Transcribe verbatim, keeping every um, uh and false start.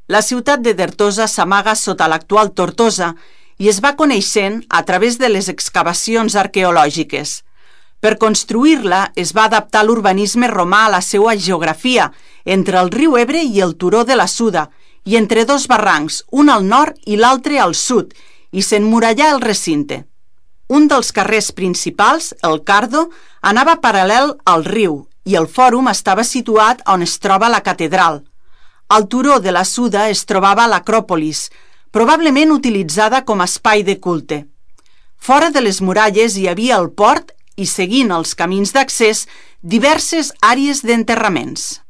La ciutat de Dertosa s'amaga sota l'actual Tortosa i es va coneixent a través de les excavacions arqueològiques. Per construir-la es va adaptar l'urbanisme romà a la seva geografia, entre el riu Ebre i el turó de la Suda, i entre dos barrancs, un al nord i l'altre al sud, i s'emmurallà el recinte. Un dels carrers principals, el Cardo, anava paral·lel al riu i el fòrum estava situat on es troba la catedral. Al turó de la Suda es trobava l'Acròpolis, probablement utilitzada com a espai de culte. Fora de les muralles hi havia el port i, seguint els camins d'accés, diverses àrees d'enterraments.